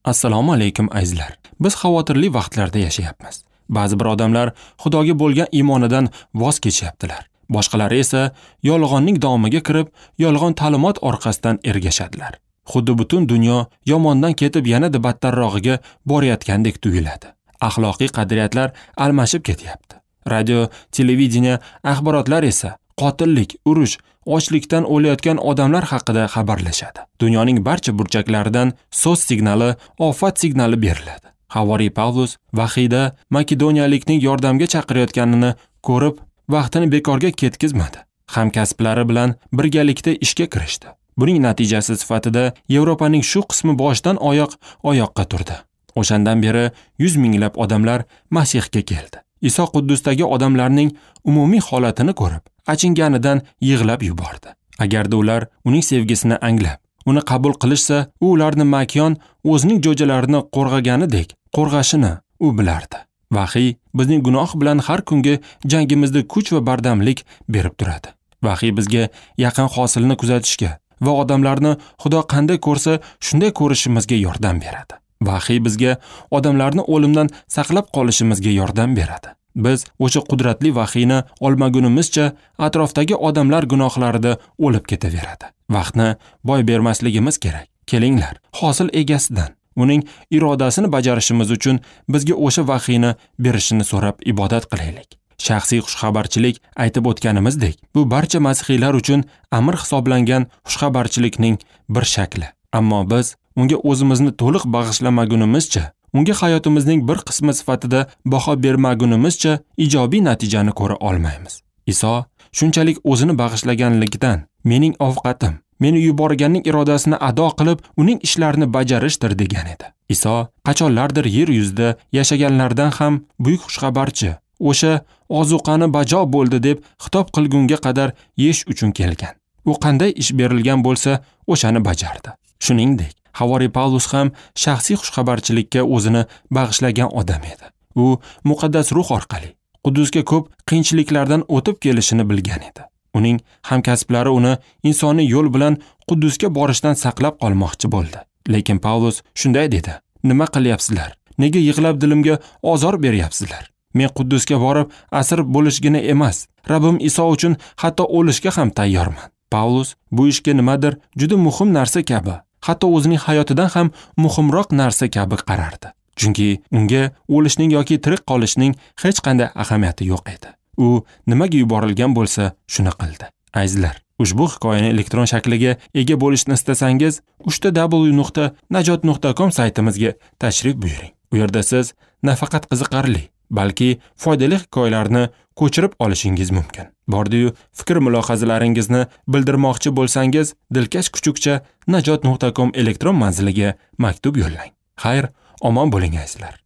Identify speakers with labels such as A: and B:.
A: Assalomu alaykum azizlar. Biz xavotirli vaqtlarda yashayapmiz. Ba'zi bir odamlar Xudoga bo'lgan iymonidan voz kechyaptilar. Boshqalari esa yolg'onning domiga kirib, yolg'on ta'limot orqasidan ergashadilar. Xuddi butun dunyo yomondan ketib yanada battarrog'iga borayotgandek tuyuladi. Axloqiy qadriyatlar almashib ketyapti. Radio, televideniye, axborotlar esa qotillik, urush, ochlikdan o'layotgan odamlar haqida xabarlashadi. Dunyoning barcha burchaklaridan so'z signali, ofat signali beriladi. Havoriy Pavlus vahiyda makedoniyalikning yordamga chaqirayotganini ko'rib, vaqtini bekorga ketkizmadi. Hamkasblari bilan birgalikda ishga kirishdi. Buning natijasi sifatida Yevropaning shu qismi boshdan oyoq oyoqqa turdi. O'shandan beri 100 minglab odamlar Masihga keldi. Iso Quddusdagi odamlarning umumiy holatini ko'rib, achinganidan yig'lab yubordi. Agarda ular uning sevgisini anglab, uni qabul qilishsa, u ularni makyon o'zining jo'jalarini qo'rg'aganidek qo'rg'ashini u bilardi. Vahiy bizning gunoh bilan har kungi jangimizda kuch va bardamlik berib turadi. Vahiy bizga yaqin hosilni kuzatishga va odamlarni Xudo qanday ko'rsa, shunday ko'rishimizga yordam beradi. Vahiy bizga odamlarni o'limdan saqlab qolishimizga yordam beradi. Biz o'sha qudratli vahiyni olmagunimizcha atrofdagi odamlar gunohlarida o'lib ketaveradi. Vaqtni boy bermasligimiz kerak. Kelinglar, hosil egasidan uning irodasini bajarishimiz uchun bizga o'sha vahiyni berishini so'rab ibodat qilaylik. Shaxsiy xushxabarchilik aytib o'tganimizdek, bu barcha masihiylar uchun amr hisoblangan xushxabarchilikning bir shakli. Ammo biz unga o'zimizni to'liq bag'ishlamagunimizcha, unga hayotimizning bir qismi sifatida baho bermagunimizcha ijobiy natijani ko'ra olmaymiz. Iso shunchalik o'zini bag'ishlaganligidan mening ovqatim, meni yuborganning irodasini ado qilib, uning ishlarini bajarishdir degan edi. Iso qachonlardir yer yuzida yashaganlardan ham buyuk xushxabarchi, o'sha ozuqani bajo bo'ldi deb xitob qilgunga qadar yeyish uchun kelgan. U qanday ish berilgan bo'lsa, o'shani bajardi. Shuningdek, Havoriy Pavlus ham shaxsiy xushxabarchilikka o'zini bag'ishlagan odam edi. U muqaddas ruh orqali Quddusga ko'p qiyinchiliklardan o'tib kelishini bilgan edi. Uning hamkasblari uni insoniy yo'l bilan Quddusga borishdan saqlab qolmoqchi bo'ldi. Lekin Pavlus shunday dedi: "Nima qilyapsizlar? Nega yig'lab dilimga ozor beryapsizlar? Men Quddusga borib asir bo'lishgina emas, Rabbim Iso uchun hatto o'lishga ham tayyorman." Pavlus bu ishga nimadir juda muhim narsa kabi, hatto o'zining hayotidan ham muhimroq narsa kabi qarardi. Chunki unga o'lishning yoki tirik qolishning hech qanday ahamiyati yo'q edi. U nimaga yuborilgan bo'lsa, shuni qildi. Azizlar, ushbu hikoyani elektron shakliga ega bo'lishni istasangiz, www.najot.com saytimizga tashrif buyuring. U yerda siz nafaqat qiziqarli, balki foydali hikoyalarni ko'chirib olishingiz mumkin. Bordi-yu, fikr mulohazalaringizni bildirmoqchi bo'lsangiz, dilkash@najot.com elektron manziliga maktub yo'llang. Xayr, omon bo'ling azizlar.